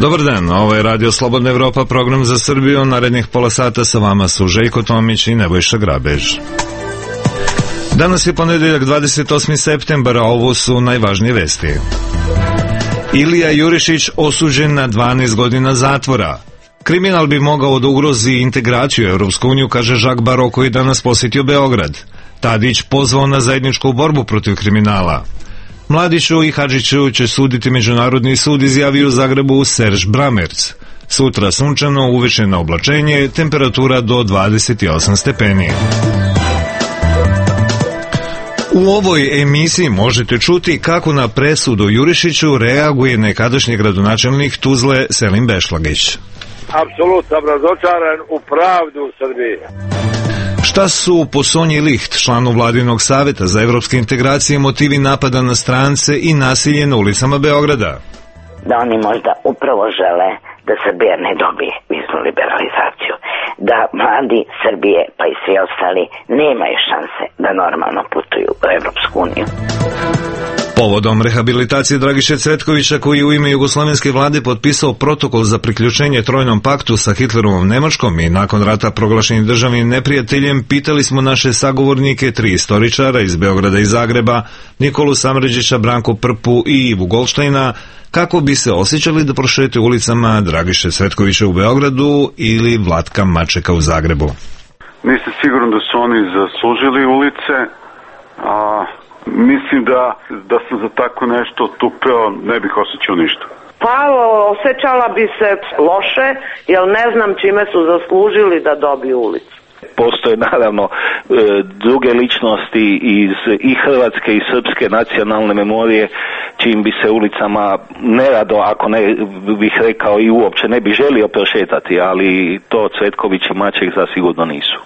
Dobar dan, ovo je Radio Slobodna Evropa, program za Srbiju. Narednih pola sata sa vama su Željko Tomić i Nebojša Grabež. Danas je ponedeljak 28. septembar, a ovo su najvažnije vesti. Ilija Jurišić osuđen na 12 godina zatvora. Kriminal bi mogao da ugrozi integraciju u Evropsku uniju, kaže Jacques Barrot, koji danas posjetio Beograd. Tadić pozvao na zajedničku borbu protiv kriminala. Mladiću i Hadžiću će suditi Međunarodni sud, izjavio u Zagrebu Serž Bramerc. Sutra sunčano, uveče na oblačenje, temperatura do 28 stepeni. U ovoj emisiji možete čuti kako na presudu Jurišiću reaguje nekadašnji gradonačelnik Tuzle Selim Bešlagić. Apsolutno razočaran u pravdu u Srbiji. Šta su po Sonji Licht, članu Vladinog saveta za evropske integracije, motivi napada na strance i nasilje na ulicama Beograda? Da oni možda upravo žele da Srbija ne dobije viznu liberalizaciju, da mladi Srbije pa i svi ostali nemaju šanse da normalno putuju u Evropsku uniju. Povodom rehabilitacije Dragiše Cvetkovića, koji je u ime jugoslovenske vlade potpisao protokol za priključenje Trojnom paktu sa Hitlerovom Nemačkom i nakon rata proglašenim državnim neprijateljem, pitali smo naše sagovornike, 3 istoričara iz Beograda i Zagreba, Nikolu Samređića, Branku Prpu i Ivu Golštajna, kako bi se osjećali da prošete ulicama Dragiše Cvetkovića u Beogradu ili Vlatka Mačeka u Zagrebu. Nisam siguran da su oni zaslužili ulice, a mislim da sam za tako nešto tupeo, ne bih osjećao ništa. Pa osjećala bi se loše, jer ne znam čime su zaslužili da dobiju ulicu. Postoje naravno druge ličnosti iz i hrvatske i srpske nacionalne memorije, čim bi se ulicama nerado, ako ne bih rekao i uopće ne bi želio prošetati, ali to Cvetković i Maček zasigurno nisu.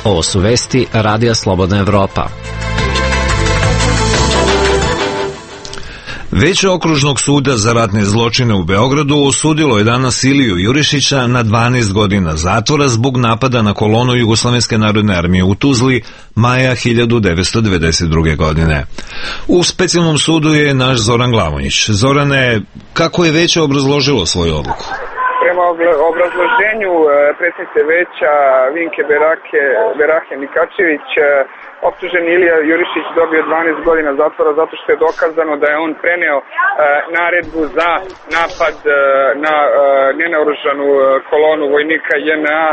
Ovo su vesti Radija Slobodna Evropa. Veće okružnog suda za ratne zločine u Beogradu osudilo je danas Iliju Jurišića na 12 godina zatvora zbog napada na kolonu Jugoslovenske narodne armije u Tuzli maja 1992. godine. U specijalnom sudu je naš Zoran Glavonjić. Zorane, kako je veće obrazložilo svoju odluku? Prema obrazloženju predsjednice veća Vinke Berahe Mikačević, optuženi Ilija Jurišić dobio 12 godina zatvora zato što je dokazano da je on preneo naredbu za napad na nenaoružanu kolonu vojnika JNA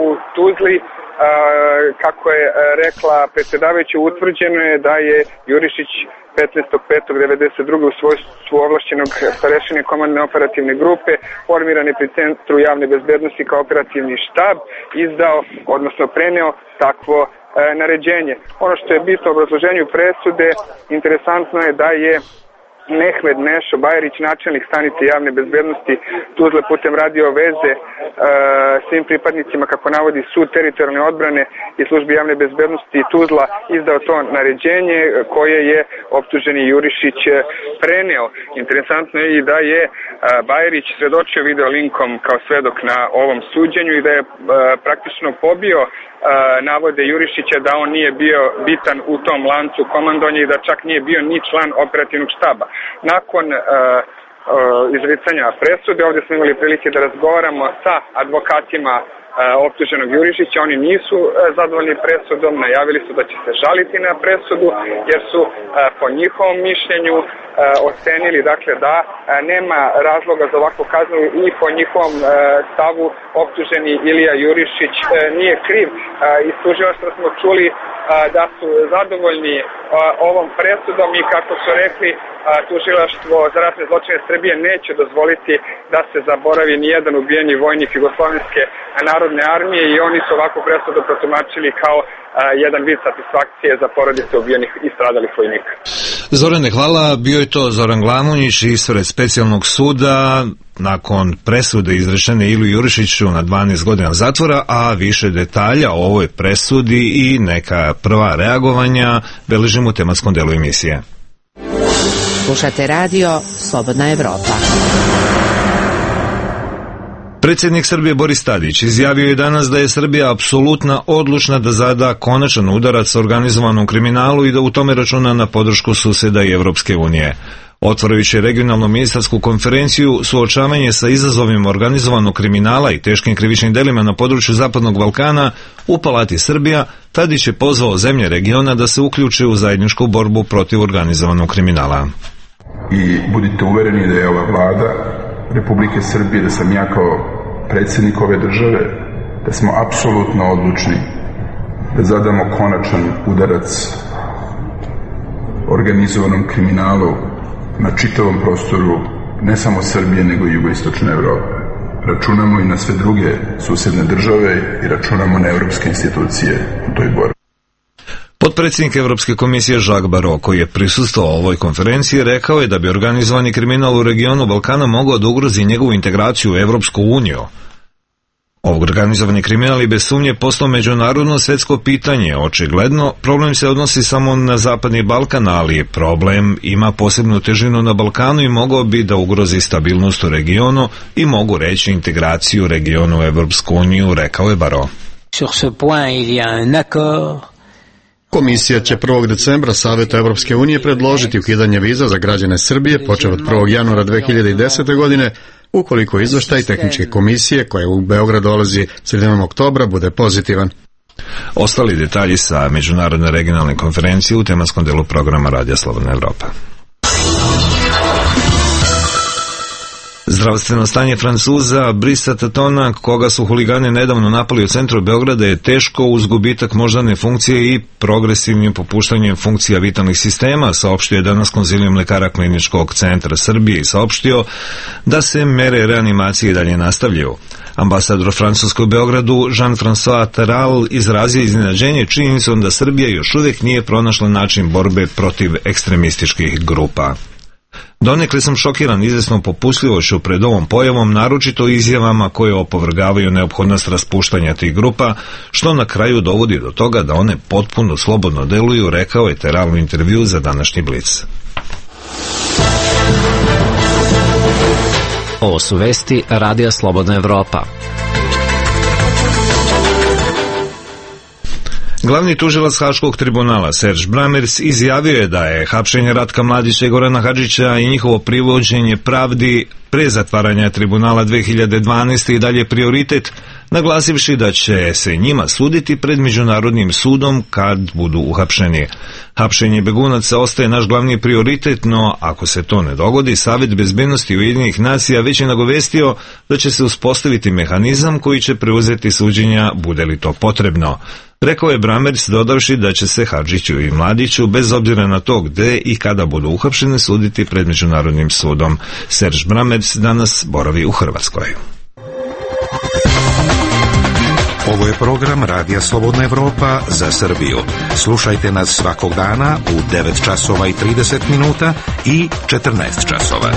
u Tuzli. Kako je rekla predsjedavajuća, utvrđeno je da je Jurišić 15.5.1992. u svojstvu ovlašćenog starešine komandne operativne grupe formirane pri Centru javne bezbednosti kao operativni štab izdao, odnosno preneo takvo naređenje. Ono što je bitno u obrazloženju presude, interesantno je da je Mehmed Nešo Bajrić, načelnik stanice javne bezbednosti Tuzle, putem radio veze svim pripadnicima, kako navodi sud teritorijalne odbrane i službi javne bezbednosti Tuzla, izdao to naređenje koje je optuženi Jurišić preneo. Interesantno je i da je Bajrić svedočio video linkom kao svedok na ovom suđenju i da je praktično pobio navode Jurišića da on nije bio bitan u tom lancu komandovanja i da čak nije bio ni član operativnog štaba. Nakon izricanja presude, ovdje smo imali prilike da razgovaramo sa advokatima optuženog Jurišića. Oni nisu zadovoljni presudom, najavili su da će se žaliti na presudu jer su po njihovom mišljenju ocenili dakle da nema razloga za ovakvu kaznu i po njihovom stavu optuženi Ilija Jurišić nije kriv. Iz tužilaštva smo čuli da su zadovoljni ovom presudom i kako su rekli, tužilaštvo za ratne zločine Srbije neće dozvoliti da se zaboravi nijedan ubijeni vojnik Jugoslovenske narodne armije i oni su ovakvu presudu protumačili kao jedan vid satisfakcije za porodice ubijenih i stradalih vojnika. Zorane, hvala. Bio je to Zoran Glavonjić ispred specijalnog suda nakon presude izrečene Iliju Jurišiću na 12 godina zatvora, a više detalja o ovoj presudi i neka prva reagovanja beležimo u tematskom delu emisije. Slušate radio Slobodna Evropa. Predsjednik Srbije Boris Tadić izjavio je danas da je Srbija apsolutno odlučna da zada konačan udarac organizovanom kriminalu i da u tome računa na podršku susjeda i Evropske unije. Otvarajući regionalnu ministarsku konferenciju suočavanje sa izazovima organizovanog kriminala i teškim krivičnim delima na području Zapadnog Balkana u Palati Srbija, Tadić je pozvao zemlje regiona da se uključe u zajedničku borbu protiv organizovanog kriminala. I budite uvereni da je ova vlada Republike Srbije, da sam ja kao predsjednik ove države, da smo apsolutno odlučni da zadamo konačan udarac organizovanom kriminalu na čitavom prostoru ne samo Srbije nego i jugoistočne Evrope. Računamo i na sve druge susjedne države i računamo na evropske institucije u toj borbi. Potpredsjednik Evropske komisije Jacques Barrot, koji je prisustvovao ovoj konferenciji, rekao je da bi organizovani kriminal u regionu Balkana mogao da ugrozi njegovu integraciju u Evropsku uniju. Organizovani kriminal i bez sumnje postao međunarodno svetsko pitanje. Očigledno, problem se odnosi samo na Zapadni Balkan, ali problem ima posebnu težinu na Balkanu i mogao bi da ugrozi stabilnost u regionu i mogu reći integraciju regionu u Evropsku uniju, rekao je Barrot. Sur ce point il y a un accord. Komisija će 1. decembra Savetu Evropske unije predložiti ukidanje viza za građane Srbije počev od 1. januara 2010. godine, ukoliko izveštaj tehničke komisije koja u Beograd dolazi sredinom oktobra bude pozitivan. Ostali detalji sa međunarodne regionalne konferencije u tematskom delu programa Radija Slobodna Evropa. Zdravstveno stanje Francuza Brisa Tatona, koga su huligani nedavno napali u centru Beograda, je teško uz gubitak moždane funkcije i progresivnim popuštanjem funkcija vitalnih sistema, saopštio je danas konzilijum lekara Kliničkog centra Srbije i saopštio da se mere reanimacije dalje nastavljaju. Ambasador Francuske u Beogradu Jean-François Terral izrazio iznenađenje činjenicom da Srbija još uvijek nije pronašla način borbe protiv ekstremističkih grupa. Donekle sam šokiran izvesnom popustljivošću pred ovom pojavom, naročito izjavama koje opovrgavaju neophodnost raspuštanja tih grupa, što na kraju dovodi do toga da one potpuno slobodno deluju, rekao je Terral u intervju za današnji Blic. Ovo su vesti Radija Slobodna Evropa. Glavni tužilac Haškog tribunala Serge Bramers izjavio je da je hapšenje Ratka Mladića i Gorana Hadžića i njihovo privođenje pravdi pre zatvaranja tribunala 2012. i dalje prioritet, naglasivši da će se njima suditi pred Međunarodnim sudom kad budu uhapšeni. Hapšenje begunaca ostaje naš glavni prioritet, no ako se to ne dogodi, Savet bezbednosti Ujedinjenih nacija već je nagovestio da će se uspostaviti mehanizam koji će preuzeti suđenja bude li to potrebno. Rekao je Bramers, dodavši da će se Hadžiću i Mladiću, bez obzira na to gde i kada budu uhapšeni, suditi pred Međunarodnim sudom. Serge Bramers danas boravi u Hrvatskoj. Ovo je program Radija Slobodna Evropa za Srbiju. Slušajte nas svakog dana u 9 časova i 30 minuta i 14 časova.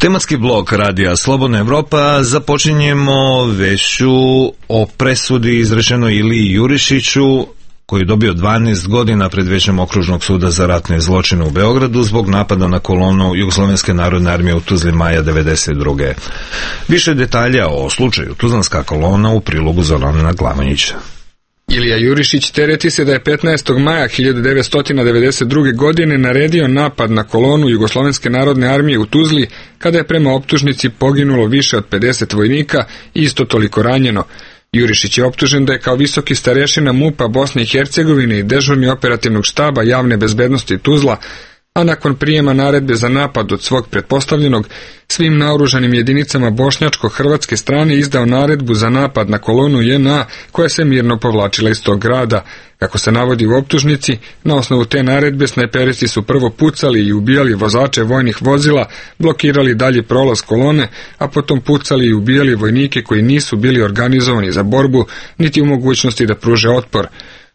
Tematski blok Radija Slobodna Evropa započinjemo vešću o presudi izrečenoj Iliji Jurišiću, koji je dobio 12 godina pred Većem okružnog suda za ratne zločine u Beogradu zbog napada na kolonu Jugoslovenske narodne armije u Tuzli maja 1992. Više detalja o slučaju Tuzlanska kolona u prilogu Zorana Glavanjića. Ilija Jurišić tereti se da je 15. maja 1992. godine naredio napad na kolonu Jugoslovenske narodne armije u Tuzli, kada je prema optužnici poginulo više od 50 vojnika i isto toliko ranjeno. Jurišić je optužen da je kao visoki starešina MUP-a Bosne i Hercegovine i dežurni operativnog štaba javne bezbednosti Tuzla, a nakon prijema naredbe za napad od svog pretpostavljenog, svim naoružanim jedinicama bošnjačko-hrvatske strane izdao naredbu za napad na kolonu JNA koja se mirno povlačila iz tog grada. Kako se navodi u optužnici, na osnovu te naredbe snajperisti su prvo pucali i ubijali vozače vojnih vozila, blokirali dalji prolaz kolone, a potom pucali i ubijali vojnike koji nisu bili organizovani za borbu, niti u mogućnosti da pruže otpor.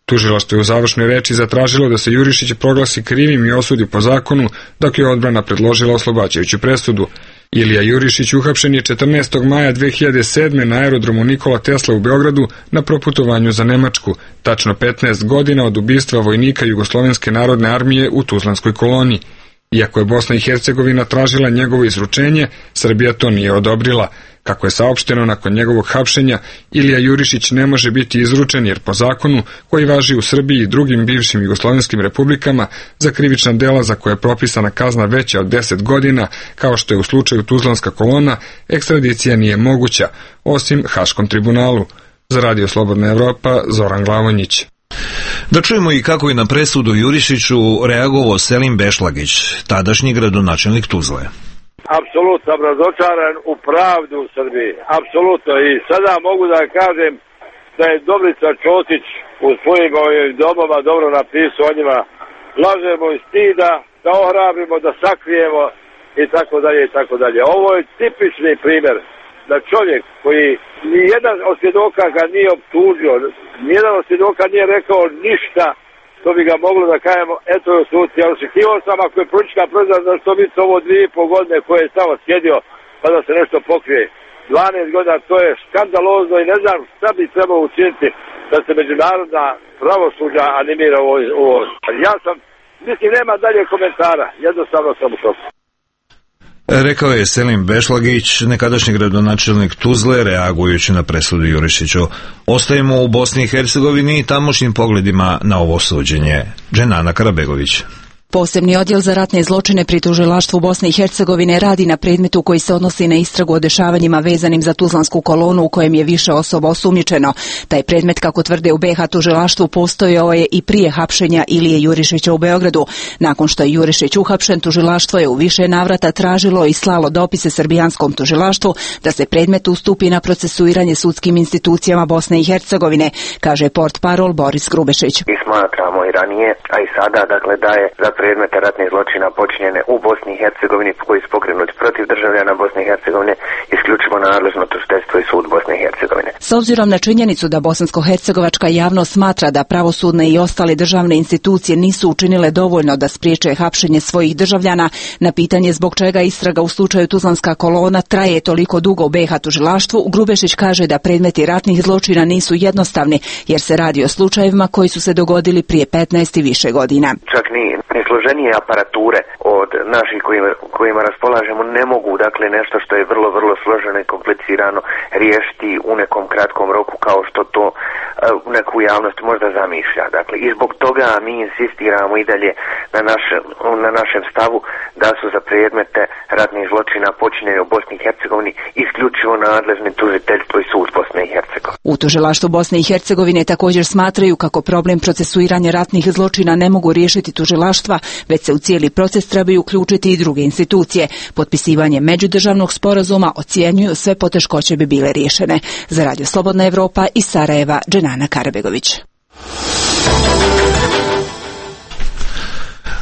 Tužilaštvo je u završnoj reči zatražilo da se Jurišić proglasi krivim i osudi po zakonu, dok je odbrana predložila oslobađajuću presudu. Ilija Jurišić uhapšen je 14. maja 2007. na aerodromu Nikola Tesla u Beogradu na proputovanju za Nemačku, tačno 15 godina od ubistva vojnika Jugoslovenske narodne armije u Tuzlanskoj koloni. Iako je Bosna i Hercegovina tražila njegovo izručenje, Srbija to nije odobrila. Kako je saopšteno nakon njegovog hapšenja, Ilija Jurišić ne može biti izručen jer po zakonu koji važi u Srbiji i drugim bivšim jugoslovenskim republikama za krivična dela za koje je propisana kazna veća od 10 godina, kao što je u slučaju Tuzlanska kolona, ekstradicija nije moguća, osim Haškom tribunalu. Za Radio Slobodna Evropa, Zoran Glavonjić. Da čujemo i kako je na presudu Jurišiću reagovao Selim Bešlagić, tadašnji gradonačelnik Tuzle. Apsolutno sam razočaran u pravdu u Srbiji. Apsolutno. I sada mogu da kažem da je Dobrica Čotić u svojim domama dobro napisao o njima. Lažemo iz stida, da ohrabrimo, da sakrijemo i tako dalje i tako dalje. Ovo je tipični primjer da čovjek koji nijedan od svjedoka ga nije optužio, nijedan od svjedoka nije rekao ništa što bi ga moglo da kajemo, eto je u suci. Ja očekivao sam ako je politička proizvod za što biti ovo 2,5 godine koje je samo sjedio pa da se nešto pokrije. 12 godina, to je skandalozno i ne znam šta bi trebalo učiniti da se međunarodna pravosuđa animira ovo. Ja sam, mislim, nema dalje komentara, jednostavno sam u šoku. Rekao je Selim Bešlagić, nekadašnji gradonačelnik Tuzle, reagujući na presudu Jurišiću. Ostajemo u Bosni i Hercegovini i tamošnjim pogledima na ovo suđenje. Dženana Karabegović. Posebni odjel za ratne zločine pri tužilaštvu Bosne i Hercegovine radi na predmetu koji se odnosi na istragu o dešavanjima vezanim za Tuzlansku kolonu u kojem je više osoba osumnjičeno. Taj predmet, kako tvrde u BiH tužilaštvu, postojao je i prije hapšenja Ilije Jurišića u Beogradu. Nakon što je Jurišić uhapšen, tužilaštvo je u više navrata tražilo i slalo dopise srbijanskom tužilaštvu da se predmet ustupi na procesuiranje sudskim institucijama Bosne i Hercegovine, kaže portparol Boris Grubešić. I smatramo i ranije, a i sada, dakle, da je za predmete ratnih zločina počinjene u Bosni i Hercegovini koji su pokrenuti protiv državljana Bosne i Hercegovine isključivo nadležno tužiteljstvo i sud Bosne i Hercegovine. S obzirom na činjenicu da bosansko-hercegovačka javnost smatra da pravosudne i ostale državne institucije nisu učinile dovoljno da spriječe hapšenje svojih državljana, na pitanje zbog čega istraga u slučaju Tuzlanska kolona traje toliko dugo u BiH tužilaštvu, Grubešić kaže da predmeti ratnih zločina nisu jednostavni jer se radi o slučajevima koji su se dogodili prije 15 i više godina. Čak ni složenije aparature od naših kojima raspolažemo ne mogu, dakle, nešto što je vrlo, vrlo složeno i komplicirano riješiti u nekom kratkom roku kao što to neku javnost možda zamišlja. Dakle, i zbog toga mi insistiramo i dalje na našem stavu da su za predmete ratnih zločina počinjeni u Bosni i Hercegovini isključivo nadležni tužiteljstvo i sud Bosne i Hercegovine. U tužilaštvu Bosne i Hercegovine također smatraju kako problem procesuiranja ratnih zločina ne mogu riješiti tužilaštva, već se u cijeli proces trebaju uključiti i druge institucije. Potpisivanje međudržavnog sporazuma ocjenjuju sve poteškoće bi bile riješene. Za Radio Slobodna Evropa iz Sarajeva, Dženana Karabegović.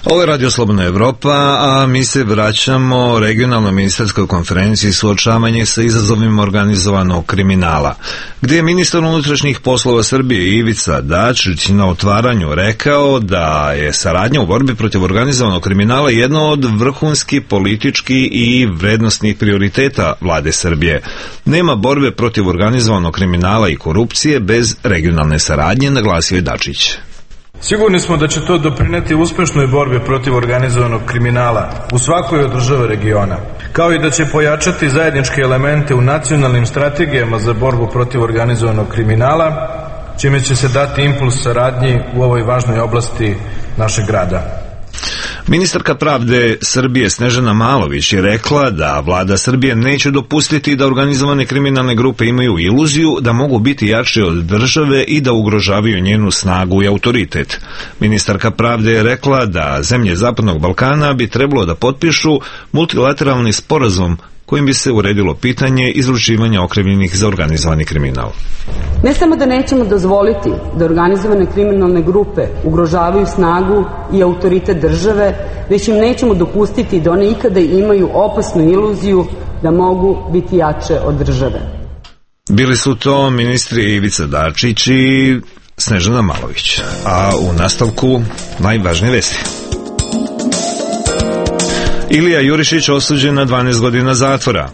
Ovo je Radio Slobodna Evropa, a mi se vraćamo regionalnoj ministarskoj konferenciji suočavanje sa izazovima organizovanog kriminala, gdje je ministar unutrašnjih poslova Srbije Ivica Dačić na otvaranju rekao da je saradnja u borbi protiv organizovanog kriminala jedno od vrhunskih političkih i vrednostnih prioriteta vlade Srbije. Nema borbe protiv organizovanog kriminala i korupcije bez regionalne saradnje, naglasio je Dačić. Sigurni smo da će to doprineti uspešnoj borbi protiv organizovanog kriminala u svakoj od država regiona, kao i da će pojačati zajedničke elemente u nacionalnim strategijama za borbu protiv organizovanog kriminala, čime će se dati impuls saradnji u ovoj važnoj oblasti našeg grada. Ministarka pravde Srbije Snežana Malović je rekla da vlada Srbije neće dopustiti da organizovane kriminalne grupe imaju iluziju da mogu biti jače od države i da ugrožavaju njenu snagu i autoritet. Ministarka pravde je rekla da zemlje Zapadnog Balkana bi trebalo da potpišu multilateralni sporazum kojim bi se uredilo pitanje izručivanja okrivljenih za organizovani kriminal. Ne samo da nećemo dozvoliti da organizovane kriminalne grupe ugrožavaju snagu i autoritet države, već im nećemo dopustiti da one ikada imaju opasnu iluziju da mogu biti jače od države. Bili su to ministri Ivica Dačić i Snežana Malović. A u nastavku najvažnije vesti. Ilija Jurišić osuđen na 12 godina zatvora.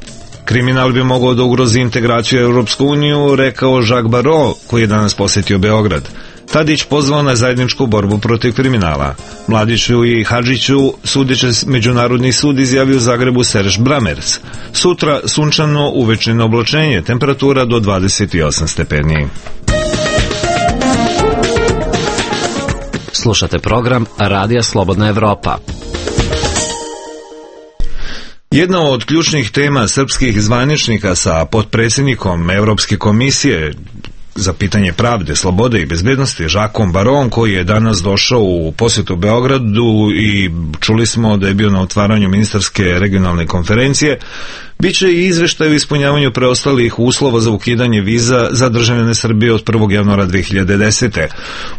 Kriminal bi mogao da ugrozi integraciju u Europsku uniju, rekao Jacques Barrot, koji je danas posjetio Beograd. Tadić pozvao na zajedničku borbu protiv kriminala. Mladiću i Hadžiću sudiće Međunarodni sud, izjavio u Zagrebu Serž Bramers. Sutra sunčano, uvečernje oblačenje, temperatura do 28 stepeni. Slušate program Radija Slobodna Evropa. Jedna od ključnih tema srpskih zvaničnika sa potpredsjednikom Evropske komisije za pitanje pravde, slobode i bezbednosti Žakom Baron, koji je danas došao u posjetu Beogradu i čuli smo da je bio na otvaranju ministarske regionalne konferencije, biće i izveštaj o ispunjavanju preostalih uslova za ukidanje viza za državljane Srbije od 1. januara 2010.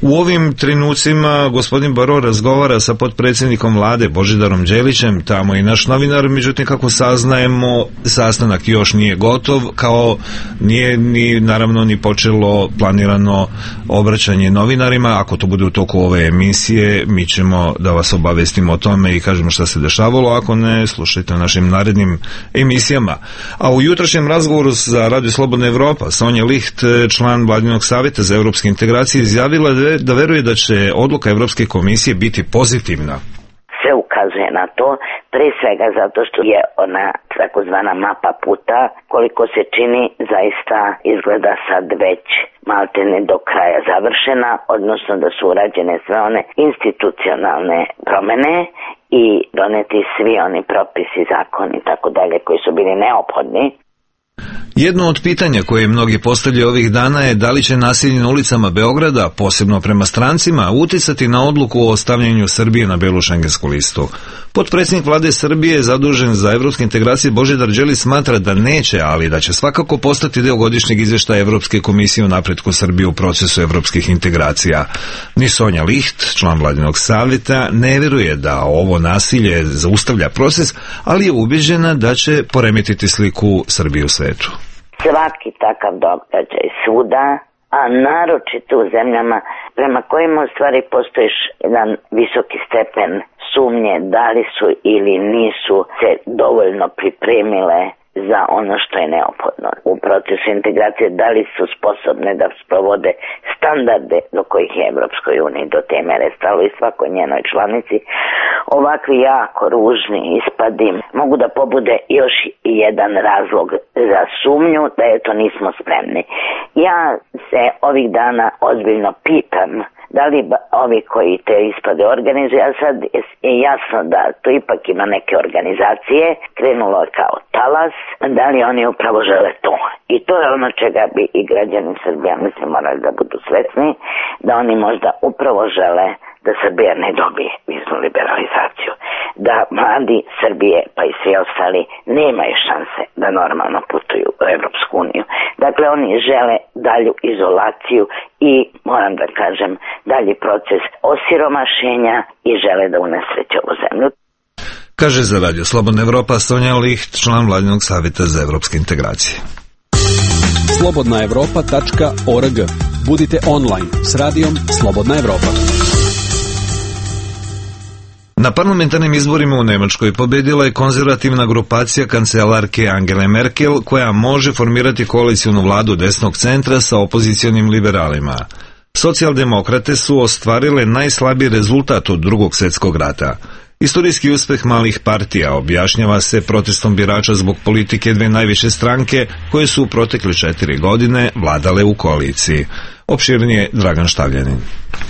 U ovim trenucima gospodin Baron razgovara sa potpredsjednikom vlade Božidarom Đelićem, tamo i naš novinar, međutim kako saznajemo, sastanak još nije gotov, kao nije ni naravno ni počelo planirano obraćanje novinarima. Ako to bude u toku ove emisije, mi ćemo da vas obavestimo o tome i kažemo šta se dešavalo, ako ne, slušajte našim narednim emisijama. A u jutrašnjem razgovoru za Radio Slobodna Evropa Sonja Licht, član Vladinog savjeta za evropske integracije, izjavila da veruje da će odluka Evropske komisije biti pozitivna. Sve ukazuje na to, pre svega zato što je ona takozvana mapa puta, koliko se čini, zaista izgleda sad već maltene do kraja završena, odnosno da su urađene sve one institucionalne promene i doneti svi oni propisi, zakoni i tako dalje koji su bili neophodni. Jedno od pitanja koje mnogi postavljaju ovih dana je da li će nasilje na ulicama Beograda, posebno prema strancima, uticati na odluku o stavljanju Srbije na belu šengensku listu. Potpredsjednik vlade Srbije, zadužen za evropske integracije, Božidar Đelić, smatra da neće, ali da će svakako postati deo godišnjeg izvještaja Evropske komisije o napretku Srbije u procesu evropskih integracija. Ni Sonja Licht, član Vladinog savjeta, ne vjeruje da ovo nasilje zaustavlja proces, ali je ubeđena da će poremetiti sliku Srbije u svetu. Svaki takav događaj svuda, a naročito u zemljama prema kojima u stvari postojiš jedan visoki stepen sumnje da li su ili nisu se dovoljno pripremile za ono što je neophodno u procesu integracije, da li su sposobne da sprovode standarde do kojih je Evropskoj uniji do te mere stalo i svakoj njenoj članici. Ovakvi jako ružni ispadi mogu da pobude još jedan razlog za sumnju da eto nismo spremni. Ja se ovih dana ozbiljno pitam da li ovi koji te ispade organizuju, a sad je jasno da to ipak ima neke organizacije, krenulo kao talas, da li oni upravo žele to. I to je ono čega bi i građani Srbije, mislim, morali da budu svesni, da oni možda upravo žele da Srbija ne dobije viznu liberalizaciju, da mladi Srbije pa i svi ostali nemaju šanse da normalno putuju u Evropsku uniju. Dakle, oni žele dalju izolaciju i, moram da kažem, dalji proces osiromašenja i žele da unesreće ovu zemlju. Kaže za Radio Slobodna Evropa Sonja Licht, član Vladinog savjeta za evropske integracije. slobodnaevropa.org. Budite online s radijom Slobodna Evropa. Na parlamentarnim izborima u Nemačkoj pobedila je konzervativna grupacija kancelarke Angele Merkel, koja može formirati koalicijnu vladu desnog centra sa opozicionim liberalima. Socijaldemokrate su ostvarile najslabiji rezultat od Drugog svjetskog rata. Istorijski uspeh malih partija objašnjava se protestom birača zbog politike dve najviše stranke koje su u protekle 4 godine vladale u koaliciji. Opširnije Dragan Štavljanin.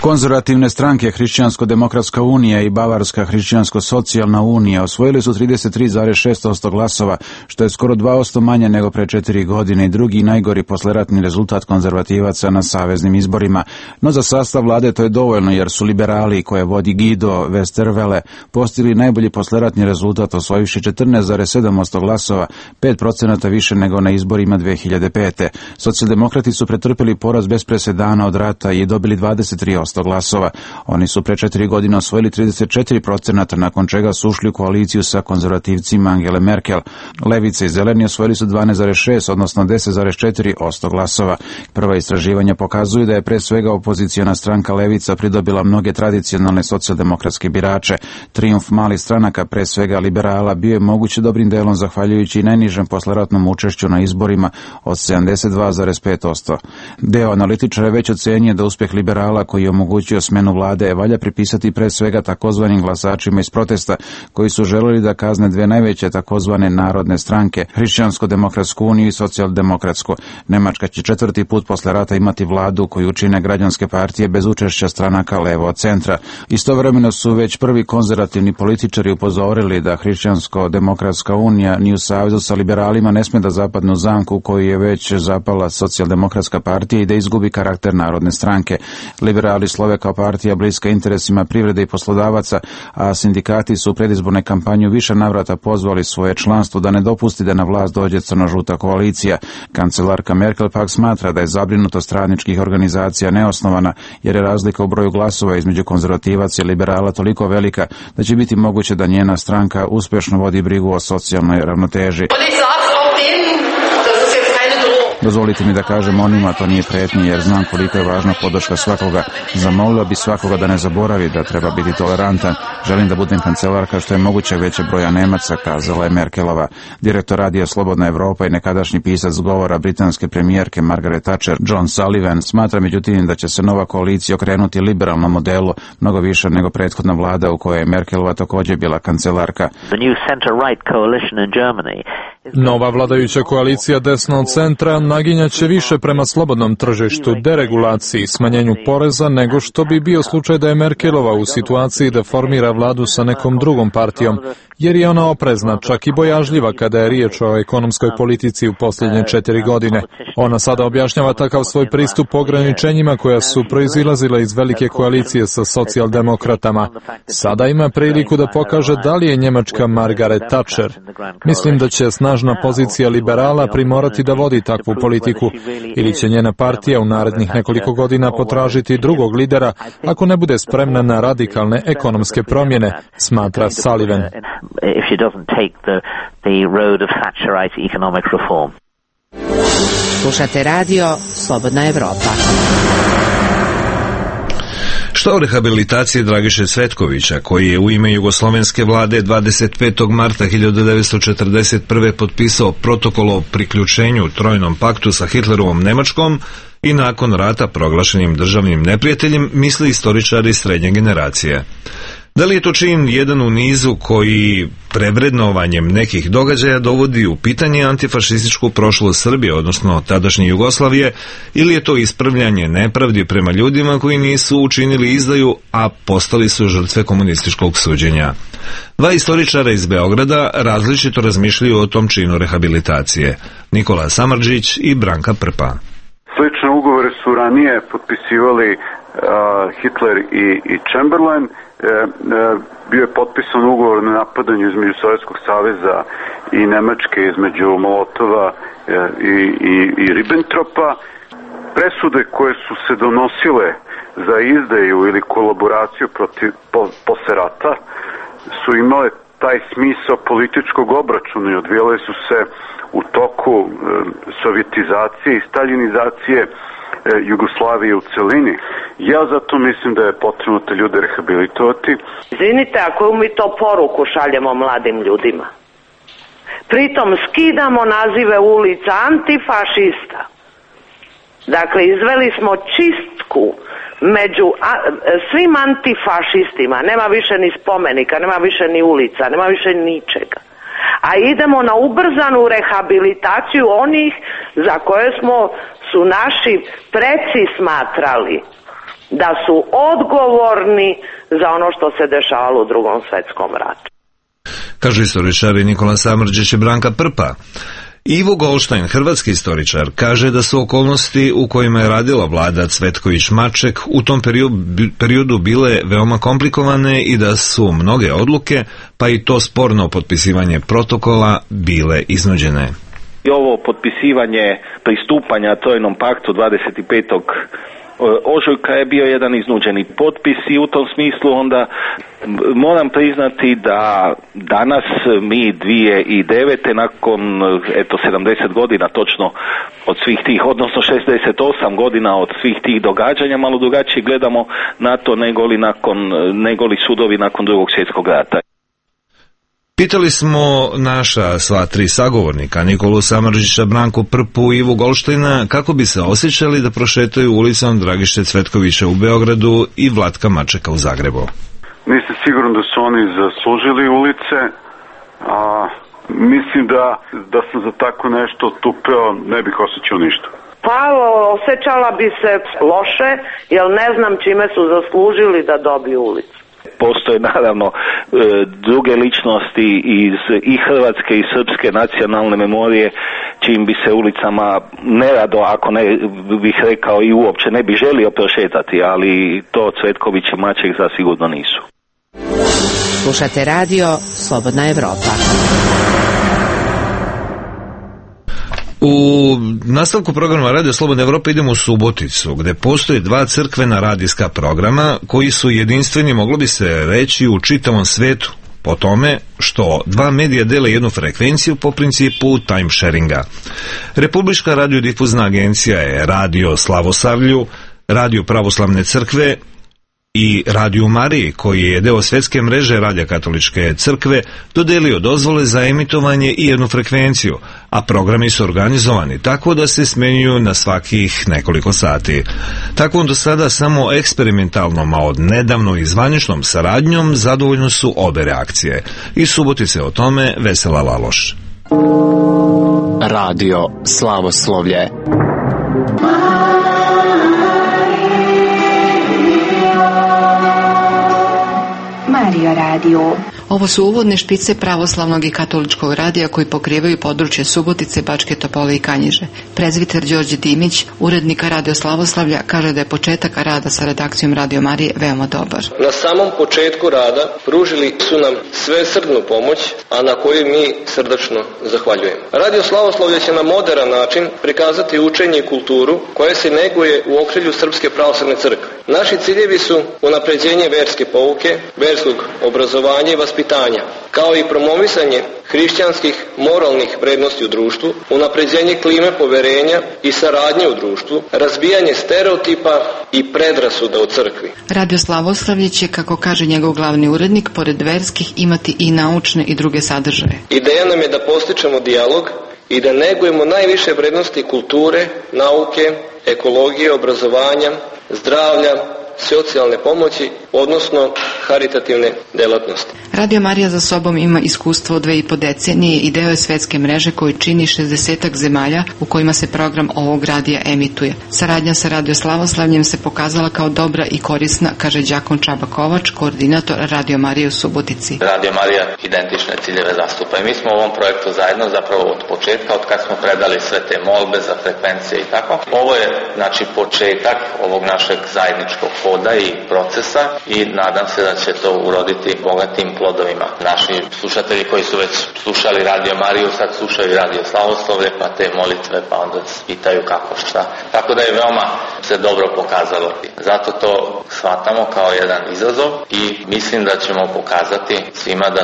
Konzervativne stranke Hrišćansko-demokratska unija i Bavarska hrišćansko-socijalna unija osvojili su 33,6% glasova, što je skoro 2% manje nego pre 4 godine i drugi najgori posleratni rezultat konzervativaca na saveznim izborima. No za sastav vlade to je dovoljno jer su liberali koje vodi Guido Westerwelle postigli najbolji posleratni rezultat osvojivši 14,7% glasova, 5% više nego na izborima 2005. Socijaldemokrati su pretrpeli poraz bez presedana od rata i dobili 23% glasova. Oni su pre 4 godine osvojili 34%, nakon čega su ušli u koaliciju sa konzervativcima Angele Merkel. Levice i zeleni osvojili su 12,6, odnosno 10,4% glasova. Prva istraživanja pokazuju da je pre svega opoziciona stranka Levica pridobila mnoge tradicionalne socijaldemokratske birače. Trijumf malih stranaka, pre svega liberala, bio je moguće dobrim delom zahvaljujući najnižem posleratnom učešću na izborima od 72,5%. Deo analitičara Tačer je već ocenio da uspjeh liberala koji je omogućio smjenu vlade valja pripisati pre svega takozvanim glasačima iz protesta koji su želeli da kazne dve najveće takozvane narodne stranke, Hrišćansko-demokratsku uniju i socijaldemokratsku. Nemačka će 4. put posle rata imati vladu koju čine građanske partije bez učešća stranaka levo od centra. Istovremeno su već prvi konzervativni političari upozorili da Hrišćansko-demokratska unija ni u savezu sa liberalima ne sme da zapadne u zamku u koju je već zapala socijaldemokratska partija i da izgubi karakter narodne stranke. Liberali slove kao partija bliska interesima privrede i poslodavaca, a sindikati su u predizbornoj kampanji u više navrata pozvali svoje članstvo da ne dopusti da na vlast dođe crno-žuta koalicija. Kancelarka Merkel pak smatra da je zabrinutost radničkih organizacija neosnovana, jer je razlika u broju glasova između konzervativaca i liberala toliko velika da će biti moguće da njena stranka uspješno vodi brigu o socijalnoj ravnoteži. Dozvolite mi da kažem onima, to nije pretnje jer znam koliko je važna podrška svakoga. Zamolila bi svakoga da ne zaboravi da treba biti tolerantan. Želim da budem kancelarka što je moguće veće broja Nemaca, kazala je Merkelova. Direktor radija Slobodna Evropa i nekadašnji pisac govora britanske premijerke Margaret Thatcher, John Sullivan, smatra međutim da će se nova koalicija okrenuti liberalnom modelu mnogo više nego prethodna vlada u kojoj je Merkelova također bila kancelarka. Nova vladajuća koalicija desno od centra naginjaće više prema slobodnom tržištu, deregulaciji, smanjenju poreza nego što bi bio slučaj da je Merkelova u situaciji da formira vladu sa nekom drugom partijom, jer je ona oprezna, čak i bojažljiva kada je riječ o ekonomskoj politici u posljednje 4 godine. Ona sada objašnjava takav svoj pristup ograničenjima koja su proizilazila iz velike koalicije sa socijaldemokratama. Sada ima priliku da pokaže da li je njemačka Margaret Thatcher. Mislim da će snažna pozicija liberala primorati da vodi takvu politiku, ili će njena partija u narednih nekoliko godina potražiti drugog lidera ako ne bude spremna na radikalne ekonomske promjene, smatra Sullivan. Slušate radio Slobodna Evropa. Šta o rehabilitaciji Dragiše Cvetkovića, koji je u ime jugoslovenske vlade 25. marta 1941. potpisao protokol o priključenju Trojnom paktu sa Hitlerovom Nemačkom i nakon rata proglašenim državnim neprijateljem, misli istoričari srednje generacije. Da li je to čin jedan u nizu koji prevrednovanjem nekih događaja dovodi u pitanje antifašističku prošlost Srbije, odnosno tadašnje Jugoslavije, ili je to ispravljanje nepravdi prema ljudima koji nisu učinili izdaju, a postali su žrtve komunističkog suđenja? Dva istoričara iz Beograda različito razmišljaju o tom činu rehabilitacije. Nikola Samardžić i Branka Prpa. Slične ugovore su ranije potpisivali Hitler i Chamberlain. Bio je potpisan ugovor na napadanju između Sovjetskog saveza i Nemačke, između Molotova i Ribbentropa. Presude koje su se donosile za izdaju ili kolaboraciju posle rata su imale taj smisao političkog obračuna i odvijale su se u toku sovjetizacije i staljinizacije Jugoslavije u celini. Ja zato mislim da je potrebno te ljude rehabilitovati. Izvinite, a koju mi to poruku šaljemo mladim ljudima? Pritom skidamo nazive ulica antifašista. Dakle, izveli smo čistku među svim antifašistima. Nema više ni spomenika, nema više ni ulica, nema više ničega. A idemo na ubrzanu rehabilitaciju onih za koje su naši preci smatrali da su odgovorni za ono što se dešavalo u Drugom svjetskom ratu. Kažu istoričari Nikola Samardžić i Branka Prpa. Ivo Golštajn, hrvatski istoričar, kaže da su okolnosti u kojima je radila vlada Cvetković-Maček u tom periodu bile veoma komplikovane i da su mnoge odluke, pa i to sporno potpisivanje protokola, bile iznuđene. I ovo potpisivanje pristupanja Trojnom paktu 25. ožujka je bio jedan iznuđeni potpis i u tom smislu onda moram priznati da danas mi 2009. nakon 70 godina točno od svih tih, odnosno 68 godina od svih tih događanja malo drugačije gledamo na to nego li sudovi nakon Drugog svjetskog rata. Pitali smo naša sva tri sagovornika, Nikolu Samardžića, Branku Prpu i Ivu Golštajna, kako bi se osjećali da prošetaju ulicom Dragiše Cvetkovića u Beogradu i Vlatka Mačeka u Zagrebu. Nisam siguran da su oni zaslužili ulice, a mislim da sam za tako nešto tupeo, ne bih osjećao ništa. Pa osjećala bi se loše, jer ne znam čime su zaslužili da dobiju ulicu. Postoje naravno druge ličnosti iz i hrvatske i srpske nacionalne memorije čim bi se ulicama nerado, ako ne bih rekao i uopće ne bi želio prošetati, ali to Cvetković i Maček zasigurno nisu. Slušate radio Slobodna Evropa. U nastavku programa Radio Slobodna Evropa idemo u Suboticu, gde postoje dva crkvena radijska programa koji su jedinstveni, moglo bi se reći, u čitavom svetu, po tome što dva medija dele jednu frekvenciju po principu time sharinga. Republička radiodifuzna agencija je Radio Slavosavlju, Radio Pravoslavne crkve i Radio Mariji, koji je deo svetske mreže Radija Katoličke crkve, dodelio dozvole za emitovanje i jednu frekvenciju, a programi su organizovani tako da se smenjuju na svakih nekoliko sati. Tako do sada samo eksperimentalnom, a od nedavno i zvaničnom saradnjom zadovoljno su obe reakcije. Iz Subotice o tome Vesela Laloš. Radio Slavoslovlje. Mario Radio. Ovo su uvodne špice pravoslavnog i katoličkog radija koji pokrivaju područje Subotice, Bačke Topole i Kanjiže. Prezviter Đorđe Dimić, urednika Radio Slavoslavlja, kaže da je početak rada sa redakcijom Radio Marije veoma dobar. Na samom početku rada pružili su nam svesrdnu pomoć, a na koju mi srdačno zahvaljujemo. Radio Slavoslavlje će na moderan način prikazati učenje i kulturu koje se neguje u okrilju Srpske pravoslavne crkve. Naši ciljevi su unapređenje verske pouke, verskog obrazovanja i vaspitanja, kao i promovisanje hrišćanskih moralnih vrednosti u društvu, unapređenje klime poverenja i saradnje u društvu, razbijanje stereotipa i predrasuda u crkvi. Radio Slavoslavlje će, kako kaže njegov glavni urednik, pored verskih imati i naučne i druge sadržaje. Ideja nam je da postičemo dijalog i da negujemo najviše vrednosti kulture, nauke, ekologije, obrazovanja, zdravlja, socijalne pomoći, odnosno haritativne delatnosti. Radio Marija za sobom ima iskustvo od 2,5 decenije i deo je svetske mreže koji čini 60 zemalja u kojima se program ovog radija emituje. Saradnja sa Radio Slavoslavljem se pokazala kao dobra i korisna, kaže đakon Čaba Kovač, koordinator Radio Marije u Subotici. Radio Marija identične ciljeve zastupa i mi smo u ovom projektu zajedno zapravo od početka, od kad smo predali sve te molbe za frekvencije i tako. Ovo je znači početak ovog našeg zajedničkog hoda i procesa i nadam se da će to uroditi bogatim plodovima. Naši slušatelji koji su već slušali Radio Mariju sad slušaju Radio Slavoslavlje, pa te molitve, pa onda pitaju kako šta. Tako da je veoma se dobro pokazalo. Zato to shvatamo kao jedan izazov i mislim da ćemo pokazati svima da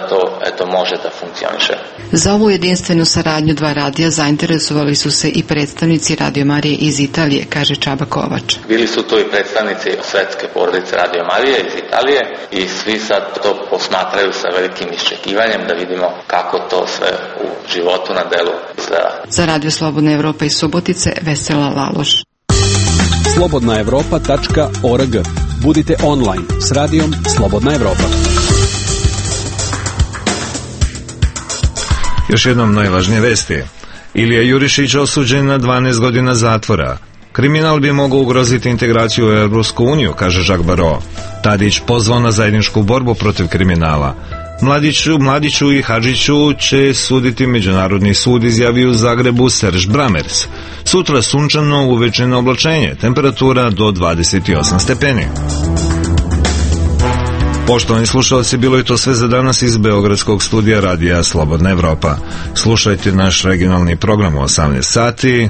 to može da funkcioniše. Za ovu jedinstvenu saradnju dva radija zainteresovali su se i predstavnici Radio Marije iz Italije, kaže Čaba Kovač. Bili su tu i predstavnici svetske porodice Radio Marije iz Italije i svi sad to posmatraju sa velikim iščekivanjem da vidimo kako to sve u životu na delu izgleda. Za Radio Slobodna Evropa iz Subotice, Vesela Laloš. slobodnaevropa.org. Budite online s radijom Slobodna Evropa. Još jednom najvažnije vesti. Ilija Jurišić osuđen na 12 godina zatvora. Kriminal bi mogao ugroziti integraciju u Europsku uniju, kaže Jacques Barrot. Tadić pozvao na zajedničku borbu protiv kriminala. Mladiću i Hadžiću će suditi Međunarodni sud, izjavio u Zagrebu Serž Bramers. Sutra sunčano, uvečeno oblačenje, temperatura do 28 stepeni. Poštovani slušalci, bilo je to sve za danas iz Beogradskog studija Radija Slobodna Evropa. Slušajte naš regionalni program u 18 sati.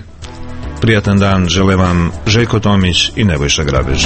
Prijatan dan žele vam Željko Tomić i Nebojša Grabež.